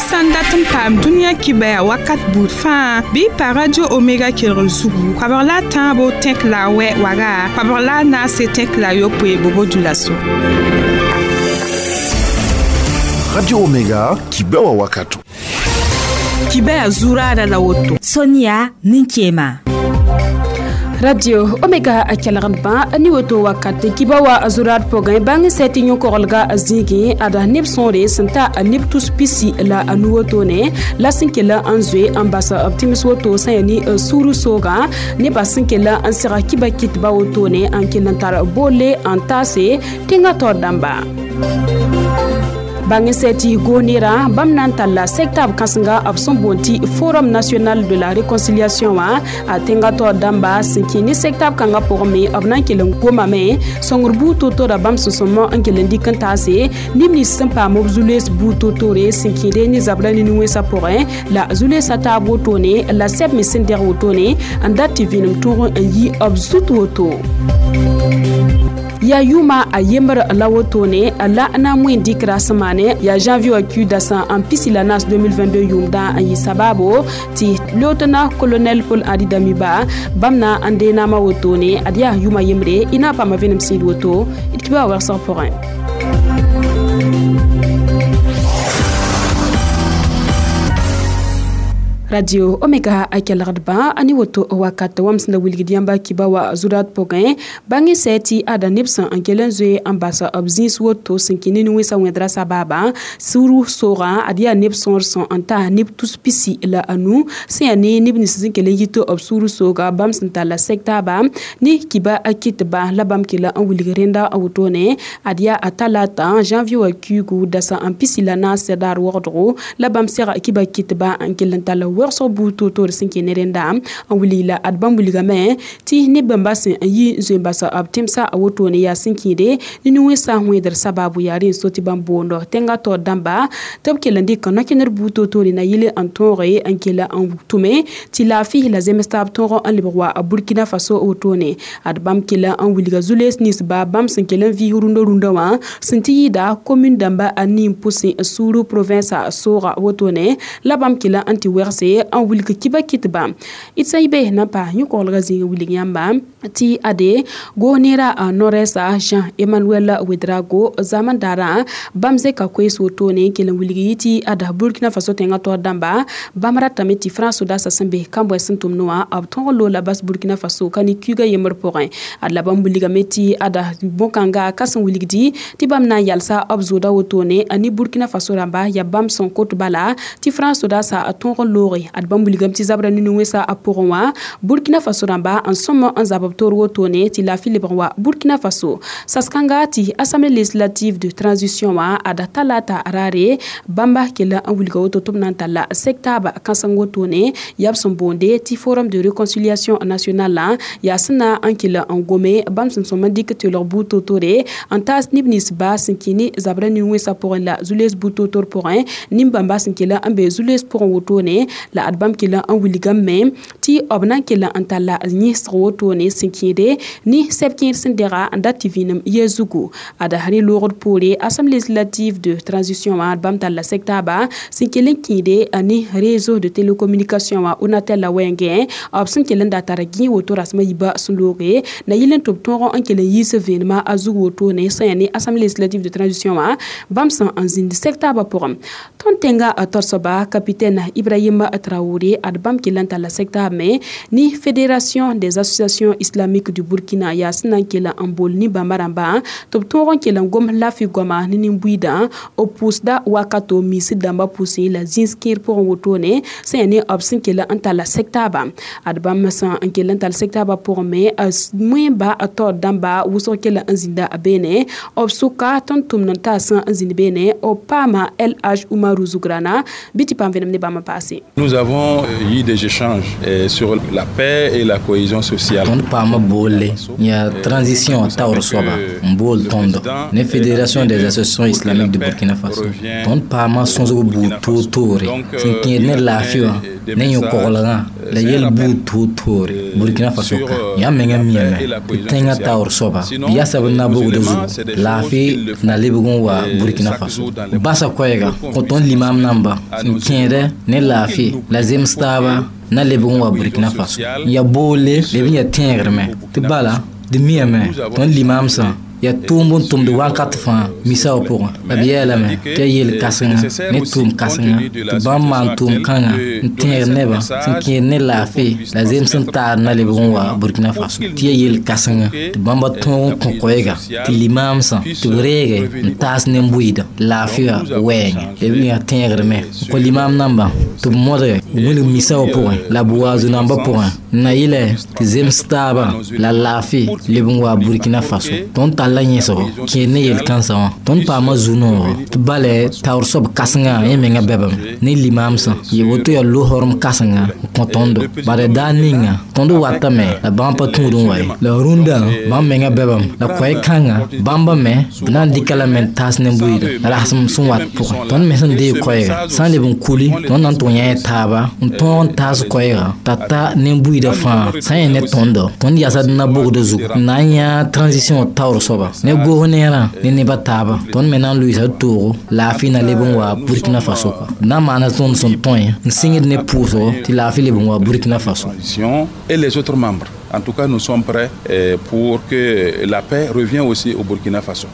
Sã n dat n paam dũniyã kibaya wakat buud fãa bɩ pa Radio Omega kelgr zugu koabg la a tãabo tẽk la a wɛ waga koabg la a naase tẽk la a yopoe bobo dulaso. Radio Omega kibawa wakato. Kibaya zuraada la woto. Sonia Ninkema. Radio Omega a kelgdbã ni woto wakat kiba wa a zurad pʋgẽ bãng sɛ tɩ yõ-koglga a zĩigẽ ada neb sõore sẽn ta a neb tus pisi la a nu wotone la sẽn kell n zoe n bas b tẽms woto sã yaa ne sũur soogã nebã sẽn kell n sega kiba kɩtba wotone n kell n tar boole n taase tẽngã taoor dãmba. Bãng sɛ tɩ goos-neerã bãmb na n talla sɛk-taab kãsenga b sẽn boond tɩ Forum national de la réconciliation wã a tẽngã taoor dãmba sẽn kẽ ne sɛk-taab kãngã pʋgẽ me b na n kell n gomame sõngr buud to-to-ra bãmb sẽn sõmb n kell n dɩk n taase neb nins sẽn paam b zu-loees buud to-tore sẽn kẽede ne zabra ne nin-wẽnsã pʋgẽ la zu-loeesã taab wotone la sɛb me sẽn dɛg wotone n dat tɩ vẽenem tõog n yi b zut woto. Ya yʋʋma a yembr la wotone la na n moẽ dɩkra sẽn maane ya janvier wã kiu dasã n pisi la naas 2022 yʋʋmdã n yɩ sabaabo tɩ lieutenant colonel Paul Henri Damiba bãmb na n dee naamã wotone ad yaa yʋʋma yembre y na n paama vẽenem sĩid woto d kiba wa wɛgsg pʋgẽ. Radio Omega a kelgdbã a ne woto wakat wãmb sẽn da wilgd yãmba kiba wa zurad pʋgẽ bãng sɛ tɩ ada neb sẽn n kell n zoe n bas b zĩis woto sẽn kẽ ne nin-wẽnsã wẽdra sabaabã sũur soogã ad yaa neb sõor sẽn n ta neb tus pisi la anu sẽn yaa ne neb nins sẽn kell n yit b sũur sooga bãmb sẽn talla sɛk-taaba ne kiba a kɩtba la bãmb kell n wilg rẽnda wotone ad yaa a talata janvier wã kiugu dasã n pisi la naas daar wogdgo la bãmb sega kiba kɩtba n kell n tall wɛgsg buud to-toor sẽn kẽ ne rẽnda n wilg la ad bãmb wilgame tɩ neb bãmba sẽn n yi n zoe n bas b tẽmsã a wotone yaa sẽn kẽede ne nin-wẽnsã wẽedr sababu yaa rẽ n so tɩ bãmb boondo tẽngã taoor dãmba tɩ b kell n dɩk no-kẽnder buud to-toore na yɩl n tõoge n kell n tʋme tɩ laafɩ la zems taab tõog n lebg wa Burkina Faso wotone ad bãmb kell n wilga zu-loees ninsba bãmb sẽn kell n vɩɩs rũndã wã sẽn tɩ yɩɩda commune dãmba a nin pʋsẽ suuru province sooga wotone la bãmb kell n tɩ wɛgse n wilg kiba kɩtba d sã y be na n pa yõ-koglgã zĩig wilg yãmba tɩ ade goos-neerã nord-est Jean Emmanuel Ouedraogo zaman daarã bãmb zẽka koees wotone n kell n wilg yɩ tɩ ada Burkina Faso tẽngã taoor dãmba bãmb ratame tɩ France sodaasã sẽn be kambʋɛ sẽn tʋmd wã b tõog n loola bas Burkina Faso ka ne kuigã yembr pʋgẽ ad la bãmb wilgame tɩ ada bõn-kãnga ka sẽn wilgdi tɩ bãmb na n yalsa b zooda wotone ne Burkina Faso rãmba yaa bãmb sẽn kot bala tɩ France sodaasã tõog n looge ad bãmb wilgame tɩ zabra ne nin-wẽnsã a pʋgẽ wã Burkina Faso rãmba n sõm n zab b toor wotone tɩ laafɩ lebg wa Burkina Faso sas-kãnga tɩ Assemblée législative de transition wã ada talata raare bãmba kell n wilga woto tɩ b na n talla sɛk-taaba kãseng wotone yaa b sẽn boonde tɩ Forum de réconciliation nationale yaa sẽn na n kell n gome bãmb sẽn sõm n dɩk tɩ lg buud to-tore n taas neb nins ba sẽn kẽ ne zabra nin-wẽnsã pʋgẽ la zu-loees buud to-tor pʋgẽ nin-bãmba sẽn kell n be zu-loees pʋgẽ wotone la ad bãmb kell n wilgame tɩ b na n kell n talla yẽsg wotone sẽn kẽede ne sɛb kẽer sẽn dɛga n dat tɩ vẽenem yɛ zugu ada rẽ loogd poore Assemblée législative de transition wã bãmb talla sɛk-taaba sẽn kell n kẽede ne réseau de télécommunication wã Onatel la wɛɛngẽ b sẽn kell n da tar gẽ woto rasmã yiibã sẽn looge na yɩl n tɩ b tõog n kell n yiis vẽenemã a zug wotone sẽn yaa ne Assemblée législative de transition wã bãmb sẽn n zĩnd sɛk-taabã pʋgẽ. Tõnd tẽngã torsoba capitaine Ibrahim Traoré ad bãmb kell n talla sɛk-taab me ni Fédération des associations islamiques du Burkina yaa sẽn na n kell n bool ne bãmba rãmba tɩ b tõog n kell n gom laafɩ goama ne nin-buiidã b pʋʋsda wakato miisd dãmbã pʋsẽ la zĩis kẽer pʋgẽ wotone sẽn yaa ne b sẽn kell n talla sɛk-taaba ad bãmb sẽn n kell n tall sɛk-taabã pʋgẽ me moẽba taoor dãmba wʋsg kell n zĩnda beene b sʋka tõnd tʋmd n taasã n zĩnd beene b paama LH Umaru Zougrana bɩ tɩ paam vẽenem ne bãmb n paase. Nous avons eu des échanges sur la paix et la cohésion sociale. Tõnd paama boolle yaa transition taoor soaba n bool tõndo ne Fédération des associations islamiques de Burkina Faso. Tõnd paama sõsg buud toor-toore sẽn kẽed ne laafɩ wã Ne yõ-koglgã la yel buud toor-toore Burkina Faso ka yãmb menga miame tɩ tẽngã taoor soaba yasa b na-bogdã zugu laafɩ na lebg n wa Burkina Faso basa koɛɛga kõ tõnd limaam namba n kẽedɛ ne laafɩ la zems taaba na lebg n wa Burkina Faso n ya boolle leb n ya tẽegrmẽ tɩ bala d miame tõnd limaamsã ya tʋʋm n tʋmd wakat fãa misa wã pʋgẽ la b yeelame tɩ ya yel-kãsenga ne tʋʋm-kãsenga tɩ bãmb maan tʋʋm-kãngã n tẽeg nebã sẽn kẽed ne laafɩ la zems n taar na lebg n wa Burkina Faso tɩ ya yel-kãsenga tɩ bãmba tõog n kõ koɛɛga tɩ limaamsã tɩ b reege n taas nen-bʋɩɩda laafɩ wã wɛɛngẽ la b yaa tẽegrmẽ n kõ limaam nambã tɩ b modge wilg misa wã pʋgẽ la b wa zu-nambã pʋgẽ n na yɩlɛ tɩ zems taabã la laafɩ leb n wa Burkina Faso tõnd tall la yẽsgo kẽed ne yel-kãnsã wã tõnd paama zu-noogo tɩ balɛ taoor soab kãsengã yẽ menga bɛbame ne limaamsã yɩ woto yaa lo-horem kãsenga n kõ tõndo bala daar ninga tõnd watame la bãmb pa tũud n wa ye la rũndã bãmb menga bɛbame la koɛɛ-kãngã bãmba me b na n dɩka lame n taas ne bʋɩɩda rasem sẽn wat pʋgẽ tõnd me sẽn deeg koɛɛga sã n leb n kuli tõnd na n tʋg yã taaba n tõog n taas koɛɛga t'a ta nen-bʋɩɩda fãa sã n yẽ ne tõndo tõnd yasa d na-bogdã zugu n na n yã transition taoor soaba ne goos neerã ne nebã taaba tõnd me na n lʋɩɩsa d toogo laafɩ na leb n wa Burkina Faso kɔa d na n maana tõnd sẽn tõe n sɩngd ne pʋʋsgo tɩ laafɩ leb n wa Burkina Faso. Et les autres membres. En tout cas, nous sommes prêts pour que la paix revienne aussi au Burkina Faso.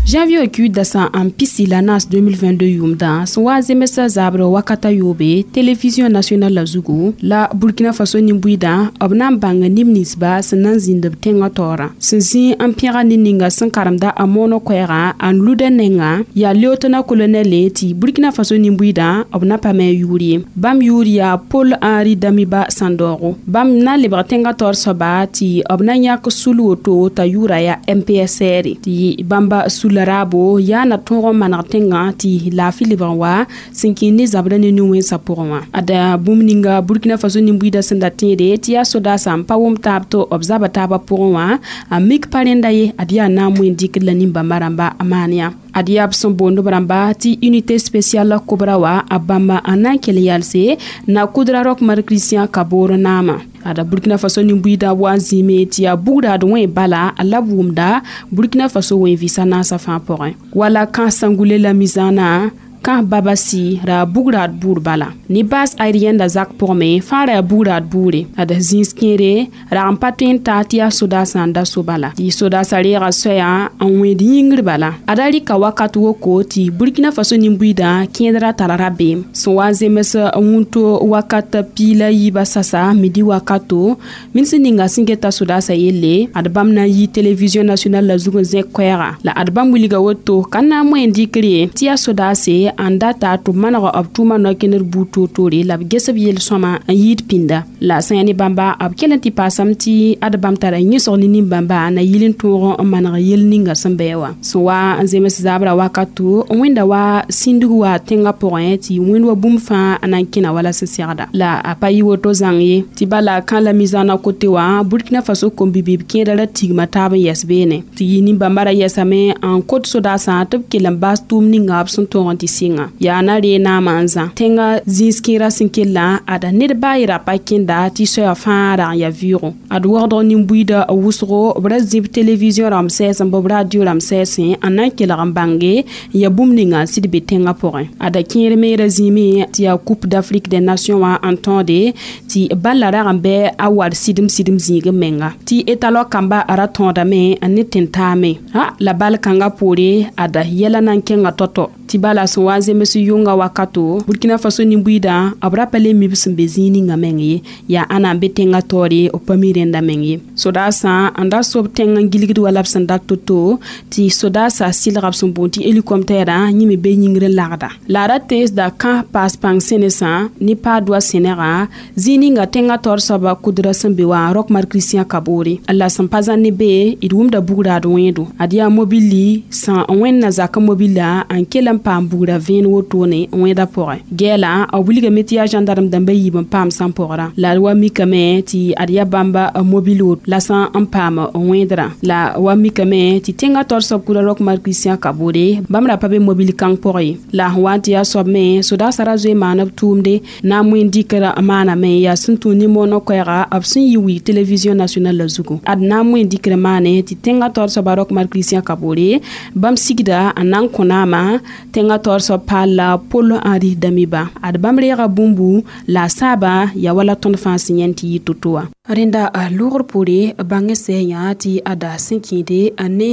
Janvier ku dasa n pisi la naas 2022 yʋʋmdã sẽn wa zemsã zabrã wakata yoobe télévision nationale la zugu la Burkina Faso nin-bʋɩdã b na n bãng neb ninsba sẽn na n zĩnd b tẽngã taoorã sẽn zĩ n pẽga ned ninga sẽn karemda a moonã koɛɛgã n luda nengã yaa lieutenant colonel tɩ Burkina Faso nin-bʋɩdã b na pa me a yʋʋr ye bãmb yʋʋr yaa Paul Henri Damiba Sandaogo bãmb na n lebg tẽngã taoor soaba tɩ b na yãk sul woto t'a yʋʋra yaa MPSR tɩ bãmba sula raabo yaa na tõog n maneg tẽngã tɩ laafɩ lebg n wa sẽn kẽ ne zabrã ne nin-wẽnsã pʋgẽ wã ada bũmb ninga Burkina Faso nin-buiidã sẽn da tẽede tɩ yaa sodaasã n pa wʋm taab tɩ b zaba taabã pʋgẽ wã a mik pa rẽnda ye ad yaa na n moẽ dɩkd la nin-bãmba rãmba a maan yã ad yaa b sẽn boond b rãmba tɩ unité spéciale kobra wa a bãmba n na n kell yalse na kudra Roch Marc Christian Kabore naamã ada Burkina Faso nin-buiidã wa n zĩime tɩ yaa bugrad wẽ bala la b wʋmda Burkina Faso wẽ vɩsa naasã fãa pʋgẽ wala kã sãngule la mizaanã kã babasi ra bugrad buur bala ne base aérienne la zak pʋgme fãa ra yaa bugrad buure ad zĩis kẽere rag n pa tõe n ta tɩ yaa sodaasã n da so bala tɩ sodaasã reega soɛyã n wẽed yĩngr bala ada rɩka wakat woko tɩ Burkina Faso nin-buiidã kẽedrã tara rabeem sẽn wa n zems wũnto wakat piig la yiibã sasa midi wakato min sẽn ninga sẽn geta sodaasã yelle ad bãmb na n yi télévision nationale la zug n zẽk koɛɛga la ad bãmb wilga woto ka na n moẽ dɩkr ye tɩ yaa sodaase n data tɩ b maneg b tʋʋma no-kẽndr buud toor-toore la b ges b yel-sõma n yɩɩd pĩnda la sã yaa ne bãmba b kell n tɩ paasame tɩ ad bãmb tara yẽsg ne nin-bãmba na yɩl n tõog n maneg yel ninga sẽn bɩ wã sẽn wa n zems zabrã wakato wẽnda wa sĩndg wa tẽngã pʋgẽ tɩ wẽnd wa bũmb fãa n na n kẽna wala sẽn segda la a pa yɩ woto zãng ye tɩ bala kã la mizaanã kote wã Burkina Faso kom-bibib kẽedã ra tigma taab n yɛs beene tɩ yɩ nin-bãmba ra yɛsame n kot sodaasã tɩ b kell n baas tʋʋm ninga b sẽn tõog n tɩ sɩnga yaa na ree naamã n zã tẽngã zĩis kẽerã sẽn kellã ada ned baa yɩ ra pa kẽnda tɩ soɛa fãa rag n yaa vɩʋʋgo ad wagdg nin-buiidã wʋsgo b ra zĩb télévision rãmb sɛɛsẽ bɩ b radio rãmb sɛɛsẽ n na n kelg n bãnge n yaa bũmb ninga n sɩd be tẽngã pʋgẽ ada kẽer me ra zĩime tɩ yaa Coupe d'Afrique des Nations wã n tõode tɩ balla rag n bɩ a war sɩdem sɩdem zĩig n menga tɩ étalon kamba ra tõodame n ne tẽn-taame la bal kãngã poore ada yɛla na n kẽnga tɔ-tɔ tɩ bala sẽn wa n zems yʋnga wakato Burkina Faso nin-buiidã b ra pa le mi b sẽn be zĩig ninga meng ye yaa ãna n be tẽngã taoore b pa mi rẽnda meng ye sodaasã n da sob tẽng n gilgd wala b sẽn dat to-to tɩ sodaasã sɩlga b sẽn boond tɩ hélicoptère yẽ me be yĩngr n lagda la a ra teesda kã paas pãng sẽnesã ne paadwa sẽnegã zĩig ninga tẽngã taoor soaba kudra sẽn be wã Roch Marc Christian Kabore la sẽn pa zãn ne be d wʋmda bugraad wẽedo ad yaa mobili sã n wẽnna zakã mobila n kell n paam bugra vẽen wotone wẽeda pʋgẽ gɛɛla b wilgame tɩ yaa gendarme dãmba yiib n paam sãn pʋgrã la d wa mikame tɩ ad yaa bãmba mobil wot la sã n paam wẽedrã la wa mikame tɩ tẽngã taoor soab kura Roch Marc Christian Kabore bãmb ra pa be mobil kãng pʋgẽ ye la sẽn wa n tɩ yaa soab me sodaasã ra zoe maan b tʋʋmde na n wẽn dɩkra maaname yaa sẽn tũ nin-moonã koɛɛga b sẽn yi wi télévision nationale la zugu ad na n wẽn dɩkr maane tɩ tẽngã taoor soaba Roch Marc Christian Kabore bãmb sigda n na n kõ naama tẽngã taoor soab paal la Paul Henri Damiba ad bãmb reega bũmbu la a saaba yaa wala tõnd fãa sẽn yãend tɩ yɩ to-to wã rẽnda logr poore bãng sɛ yã tɩ ada sẽn kẽede ne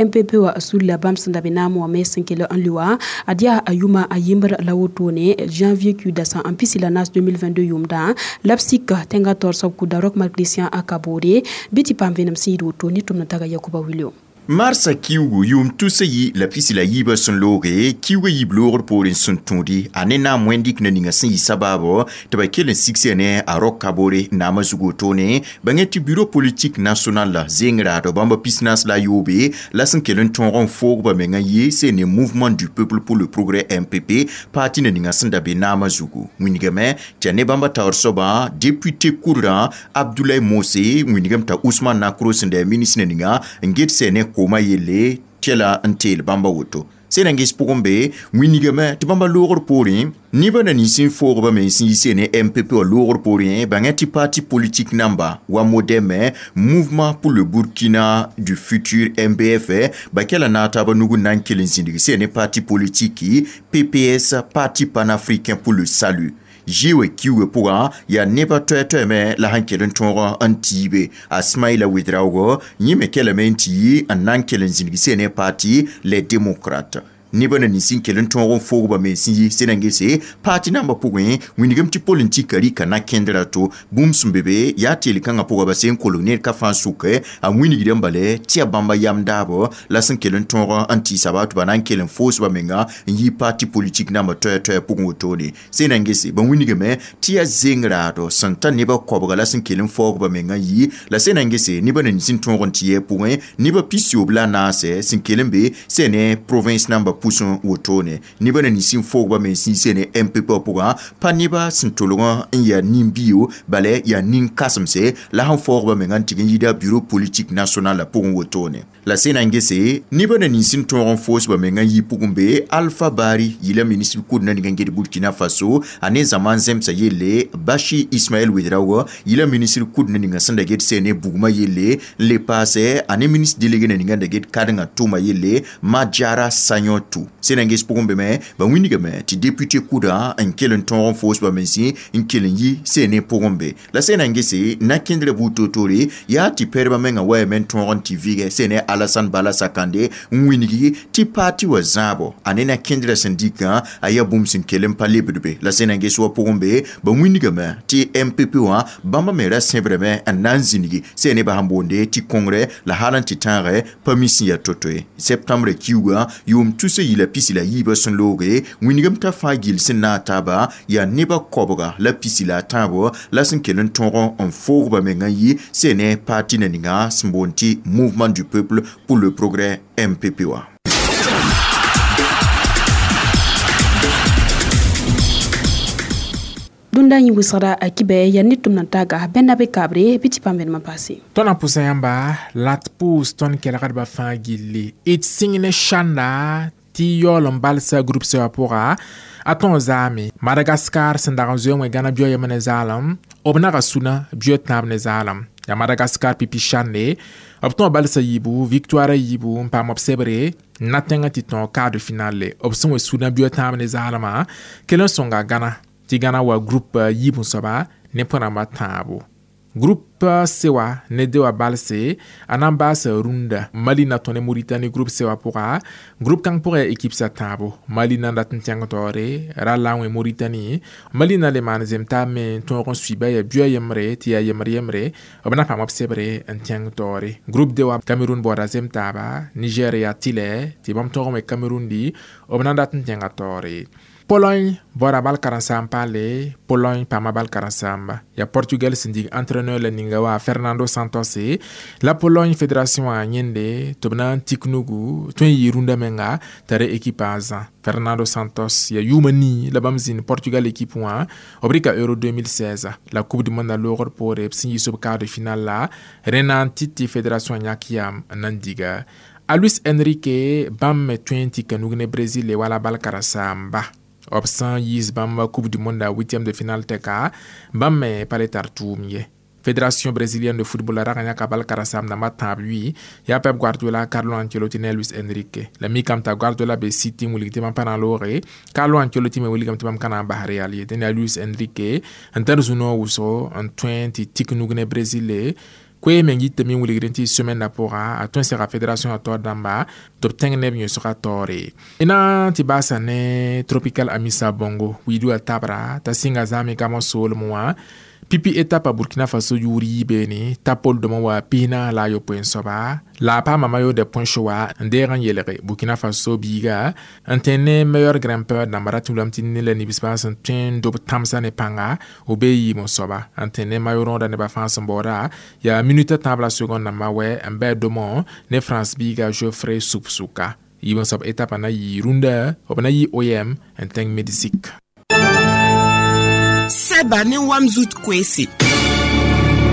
MPP wa sulla bãmb sẽn da be naam wã me sẽn kell n lʋ wã ad yaa a yʋma a yembr la wotone janvier kiuda sã n pisi la naas 2022 yʋmdã la b sik tẽngã taoor soab kʋda Roch Marc Christian Kabore bɩ tɩ paam vẽenem sẽn yɩɩd woto ne tʋmd n taga Yakuba Wilio. Marsa kiugu yʋʋm tusa yi la pisi la yiibã sẽn looge kiuga yiib loogr poorẽ sẽn tũudi a ne naam wẽn-dɩk na ninga sẽn yɩ sabaabo tɩ ba kell n sigsã ne a Roch Kabore naamã zug wotone bãngẽ tɩ bureau politique national la zeng raado bãmba pisnaas la a yoobe la sẽn kell n tõog n foog ba mengã yɩ sẽn ne Mouvement du peuple pour le progrès MPP parti na ninga sẽn da be naamã zugu wĩnigame tɩ a ne bãmba taoor soabã député kʋdrã Abdoulaye Mose wĩnigame t'a Ousmane Nakro sẽn da yaa ministre na ninga n get sɛ ne kooma yelle tɛla n teel bãmba woto sẽn na n ges pʋgẽ be wĩnigame tɩ bãmba loogr poorẽ nebã na nins n foogba me sẽn yi sene MPP wã loogr poorẽ bãngã tɩ parti politique namba wa MODEM Mouvement pour le Burkina du futur MBF ba kɛla naag taabã nug n na n kell n zĩndg sene parti politique PPS Parti panafricain pour le salut Jiwe kiuge pʋgã yaa nebã toɛ-toɛɛmẽ la sẽn kell n tõog n tiibe a Smaïla Ouedraogo yẽ me kelame n tɩ yi n na n kell n zĩndg sene parti Les Démocrates nebã na nins n kell n tõog n foog ba mens n yi sẽn na n gese parti nambã pʋgẽ wĩnigame tɩ politika rɩka na kẽndra to bũmb sẽn be be yaa teel kãngã pʋga ba sẽn kolg ned ka fãa sʋke a wĩnigdã bale tɩ yaa bãmba yam daabo la sẽn kell n tõog n tɩɩsa ba tɩ ba na n kell n foos ba menga n yi parti politique nambã toɛ-toɛ pʋgẽ wotone sẽn na n gese ba wĩnigame tɩ yaa zeng raado sẽn ta nebã koabga la sẽn kell n faoog ba menga yi la sẽn na n gese nebã na nins n tõog n tɩ yɛ pʋgẽ nebã pisiyoob la naase sẽn kell n be sẽn ne province nambã pʋsẽ wotone nebã na nins n foog ba mens n yi sene MPP pʋgã pa nebã sẽn tolgã n yaa nin-bio bala yaa nin-kãsemse la sẽn faoog ba menga n tɩg n yida bureau politique national la pʋgẽ wotone la sẽn na n gese nebã na nins n tõog n foos ba menga n yi pʋgẽ be Alpha Bari yɩla ministre kʋd na ning n ged Burkina Faso a ne zãma n zẽmsa yelle Bachi Ismaël Ouedraogo yɩla ministre kʋd na ninga sẽn da get sene bugmã yelle n le paase a ne ministre délégué na ninga n da get kadengã tʋʋma yelle Madjara Sagnotou sẽn na n ges pʋgẽ be me ba wĩnigame tɩ député kʋdã n kell n tõog n foos ba mense n kell n yi sẽn ne pʋgẽ be la sẽn na n gese na-kẽndrã buud toor-toore yaa tɩ pɛrba mengã wayame n tõog n tɩ vɩgɛ sẽn ne Alassane Bala Sakande n wĩnigi tɩ paati wã zãabo a ne na-kẽndrã sẽn dɩkã a yaa bũmb sẽn kell n pa lebd be la sẽn na n ges wa pʋgẽ be ba wĩnigame tɩ MPP wã bãmba me ra sẽbrame n na n zĩnigi sẽn ne ba sẽn boonde tɩ kongrɛ la hal n tɩ tãagɛ pa mi sẽn yaa to-to ye septembre kiuugã yʋʋm tusa yila pisi la yiibã sẽn looge wĩnigame t'a fãa gill sẽn naag taaba yaa nebã koabga la pisi la a tãabo la sẽn kell n tõog n foog ba mengã yi sẽn ne parti na ninga sẽn boond tɩ Mouvement du peuple pour le progrès MPP wã. Dũnda yẽ wɩsgra a kibɛ yaa ne tʋmd n taaga bẽnda be kabre bɩ tɩ paam vẽenem n paase. Tõnd na pʋsã yãmba la d pʋʋs tõnd kelgdbã fãa gilli d sĩng ne sãnda tɩ yaool n balsa groupe C wã pʋga a tõog zaame Madagascar sẽn dag n zoe wẽ gãna bio yem ne zaalem b naga sũna bio tãab ne zaalem yaa Madagascar pipi sãnde b tõog balsa yiibu victoire yiibu n paam b sebre n na tẽngã tɩ tõog quart de finale b sẽn wa sũna bio tãab ne zaalmã kell n sõnga Gãna tɩ Gãna wa groupe yiib n soaba ne põ-rãmbã tãabo groupe C wã ne de wã balse a na n baasa rũndã Mali na tõe ne Mauritanie groupe C wã pʋga groupe kãng pʋgã yaa équipe sa tãabo Mali na n dat n tẽng taoore ra la n wẽ Mauritanie Mali na le maan zem taab me n tõog n suiba yaa bia yembre tɩ yaa yembre yembre b na paam b sebre n tẽng taoore groupe D wã Cameroun baooda zem taaba Niger yaa tɩlɛ tɩ bãmb tõog n wẽ Cameroun di b na n dat n tẽnga taoore Pologne bɔra bal karen-saam paale Pologne paama bal karen-saamba yaa Portugal sẽn dig entraîneur la ninga ninga wa Fernando Santos la Pologne fédération a yẽnde tɩ b na n tik nugu tõe n yɩ rũndã menga t'a re équipe a zã. Fernando Santos ya yʋʋma nii la bãmb zĩnd Portugal équipe wã b rɩka Euro 2016 la Coupe du monde a loogr poore b sẽn yiis b quart de finale la rẽ na n tɩ tɩ fédération yãk yam n na n diga a Luis Enrique. Bãmb me tõe n tɩ ka nug ne Brésil wala bal karen-saamba b sã n yiis bãmb Coupe du monde a huitième de finale tɛka, bãmb me pa le tar tʋʋm ye. Fédération brésilienne de football rag n yãka bal karen-saam dãmbã tãab yʋɩ yaa Pep Guardiola, Carlo Ancelotti ne Luis Enrique. La mikame t'a Guardiola be City n wilg tɩ bãmb pa na n looge, Carlo Ancelotti me wilgame tɩ bãmb ka na n bas Real ye. Dẽn yaa Luis Enrique n tar zu-noog wʋsgo n tõe n tɩ tik nug ne Brésil. Koe meng yitame n wilgd tɩ semaine na pʋga a tõe n sega fédération a taoor dãmba tɩ b tẽng neb yõsga taoore. Y na n tɩ baasa ne Tropical Amissa Bongo wiidu a tabra t'a sɩnga zãame gamo soolem wã pipi étape a Burkina Faso yʋʋr yiibeene t'a pol dõmã wa 41 n soaba la a paama maillot de points wa n deeg n yelge Burkina Faso biiga n tẽ ne meilleur grimpeur dãmba ra tɩ lame tɩ ne la nibsbã sẽn tõe n dob tãmsã ne pãnga b bee yiim n soaba n tẽ ne maillot rõoda nebã fãa sẽn baooda yaa minute tãab la seconde dãmbã wɛ n bɩ dõmõ ne France biiga Geoffrey Supsuka. Yiib n soab étape na yɩ rũndã b na yɩ OM n tẽng Mexique. Sɛba ne wam zut koeese.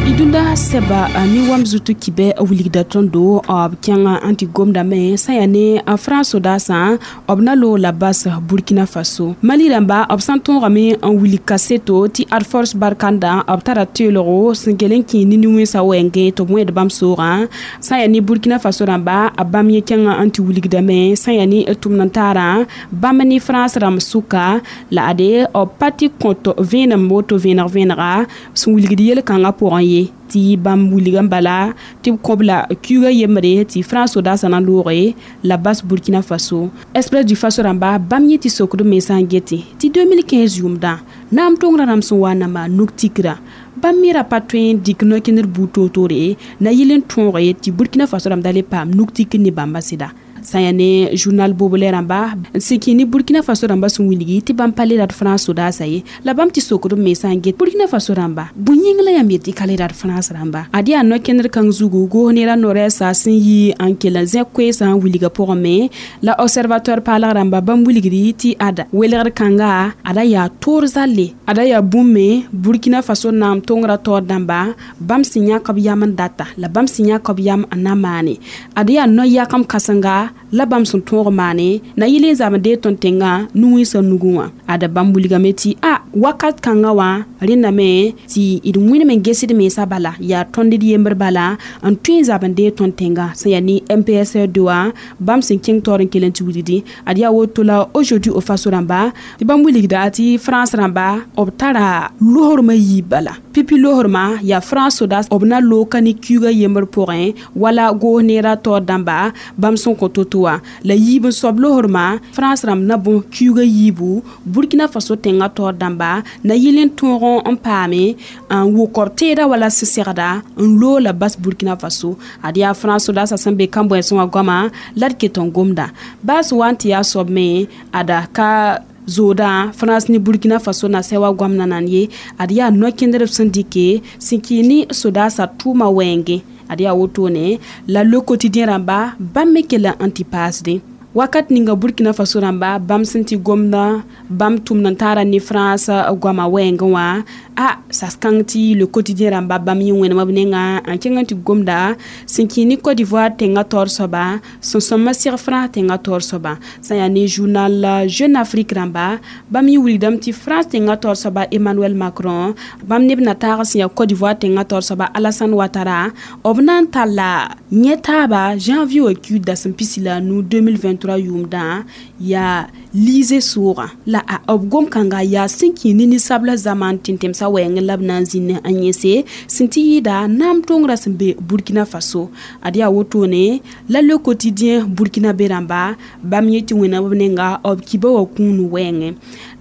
Y dũnda sɛba ne wam zut kibɛ wilgda tõndo b kẽng n tɩ gomdame sã yaa ne a France sodaasã b na loog la bas Burkina Faso. Mali rãmba b sã n tõogame n wilg kaseto tɩ ad force barkanda b tara teelgo sẽn kell n kẽ nin-wẽnsã wɛɛngẽ tɩ b wẽed bãmb soogã. Sã yaa ne Burkina Faso rãmba a bãmb yẽ kẽng n tɩ wilgdame sã yaa ne tʋmd n taarã bãmb ne France rãmb sʋka la ade b pa tɩ kõt vẽenem woto vẽeneg vẽenega sẽn wilgd yel-kãngã pʋgẽ ye tɩ bãmb wilg n bala tɩ b kõb la kiuga yembre tɩ France sodaasã na looge la bas Burkina Faso. Express du Faso rãmba bãmb yẽ tɩ sokd mensã n gete tɩ 2015 yʋʋmdã naam tongrã rãmb sẽn wa n na maan nug tikra bãmb me ra pa tõe n dɩk no-kẽndr buud toor-toore na yɩl n tõoge tɩ Burkina Faso rãmb da le paam nug tikr ne bãmba sɩda. Sã yaa ne journal Bobolɛ rãmba n sẽn kẽ ne Burkina Faso rãmba sẽn wilgi tɩ bãmb pa le rat France sodaasã ye la bãmb tɩ sokd b mensã n get Burkina Faso rãmba bõe yĩng la yãmb yet tɩ ka le rat France rãmba. Ad yaa no-kẽndr kãng zugu goos nera no-rɛɛsa sẽn yi n kell n zẽk koeesã n wilgã pʋgẽ me la Observatoire paalg rãmba bãmb wilgdi tɩ ada welgr kãnga ada yaa toor zalle ada yaa bũmb me Burkina Faso naam tongrã taoor dãmba bãmb sẽn yãk b yam n data la bãmb sẽn yãk b yam n na maane ad yaa no-yakam kãsenga la bãmb sẽn tõog maane na yɩl n zabd dee tõnd tẽngã nu-wẽnsã nugẽ wã. Ada bãmb wilgame tɩ a wakat kãngã wã rẽndame tɩ d wẽnem n gesd mensã bala yaa tõnd d yembr bala n tõe n zabd dee tõnd tẽngã sẽn yaa ne MPSR2 wã bãmb sẽn kẽng taoor n kell n tɩ wilgdi. Ad yaa woto la Aujourd'hui au Faso rãmba tɩ bãmb wilgda tɩ France rãmba b tara losrmã yiib bala pipi losrmã yaa France sodaas b na loog ka ne kiuga yembr pʋgẽ wala goos neerã taoor dãmba bãmb sẽn kõ to-to wã la yiib n soab losrmã France rãmb na bõs kiuga yiibu Burkina Faso tẽngã taoor dãmba na yɩl n tõog n paame n wʋk b teeda wala sɩsegda n loog la bas Burkina Faso. Ad yaa France sodaasã sẽn be kãn-bõeensẽ wã goama la d ket n gomda baas wa n tɩ yaa soab me ada ka zooda France ne Burkina Faso na sɛ wa goamna nan ye ad yaa no-kẽndrb sẽn dɩke sẽn kɩ ne sodaasã tʋʋma wɛɛngẽ ad yaa wotone la Le Quotidien rãmba bãmb me kell n tɩ paasdẽ wakat ninga Burkina Faso rãmba bãmb sẽn tɩ gomda bãmb tʋmd n taara ne France goama wɛɛngẽ wã a sas kãng tɩ Le Quotidien rãmba bãmb yẽ wẽnem b nengã n kẽng n tɩ gomda sẽn kẽ ne Côte d'Ivoire tẽngã taoor soaba sẽn sõma seg France tẽngã taoor soaba. Sã yaa ne journal Jeune Afrique rãmba bãmb yẽ wilgdame tɩ France tẽngã taoor soaba Emmanuel Macron bãmb neb na taag sẽn yaa Côte d'Ivoire tẽngã taoor soaba Alassane Ouattara b na n talla yẽ taaba janvier wã kiud dasem 15 2023 yʋʋmdã yaa liise soogã la a b gom-kãnga yaa sẽn kẽ ne ninsabla zaman tẽn-tẽmsã wɛɛngẽ la b na n zĩnd n yẽse sẽn tɩ yɩɩda naam tongrã sẽn be Burkina Faso. Ad yaa wotone la Le Quotidien Burkina be rãmba bãmb yẽ tɩ wẽna b nenga b kiba wã kũun wɛɛngẽ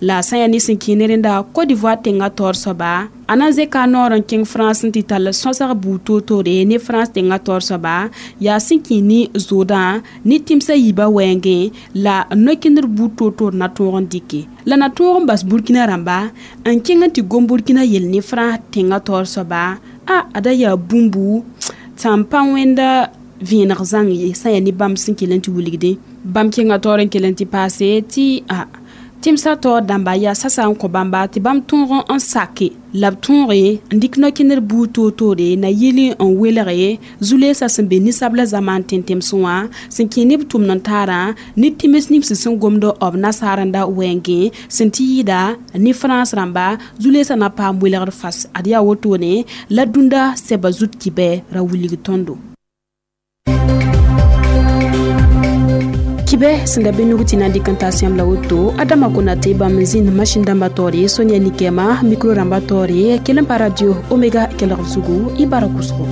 la sã yaa ne sẽn kẽ ne rẽnda Côte d'Ivoire tẽngã taoor soaba a na n zẽka a noor n kẽng France n tɩ tall sõsg buud toor-toore ne France tẽngã taoor soaba yaa sẽn kẽ ne zoodã ne tẽmsã yiibã wɛɛngẽ la no-kẽndr buud toor-toor na tõog n dɩke la na tõog n bas Burkina rãmba n kẽng n tɩ gom Burkina yell ne France tẽngã taoor soaba. A ada yaa bũmbu tɩ n pa wẽnda vẽeneg zãng ye sã n yaa ne bãmb sẽn kell n tɩ wilgdẽ. Bãmb kẽnga taoor n kell n tɩ paase tɩ a tẽmsã taoor dãmba yaa sasa n kõ bãmba tɩ bãmb tõog n sake la b tõoge n dɩk no-kẽnder buud toor-toore na yɩl n welge zu-leesã sẽn be ninsabla zamaan tẽn-tẽmsẽ wã sẽn kẽ ne b tʋmd n taarã ne tẽms nins sẽn gomd b nasaarenda wɛɛngẽ sẽn tɩ yɩɩda ne frãns rãmba zu-leesã na paam welgd fas. Ad yaa wotone la dũnda sɛba zut kibɛ ra wilg tõndo. Kibɛ sẽn da be nug tɩ na n dɩk n taas yãmb la woto Adama Konate bãmb n zĩnd masin dãmbã taoore Sonia Nikɛma mikro rãmbã taoore kell n pa radio Omega kelgd zugu y bara kʋsgo.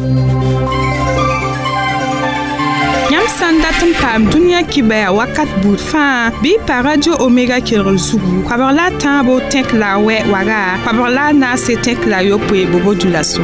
Yãmb sã n dat n paam dũniyã kibɛa wakat buud fãa bɩ y pa radio Omega kelgr zugu koabg la a tãabo tẽk la a wɛ waga koabg la a naase tẽk la a yopoe bobo dulaso.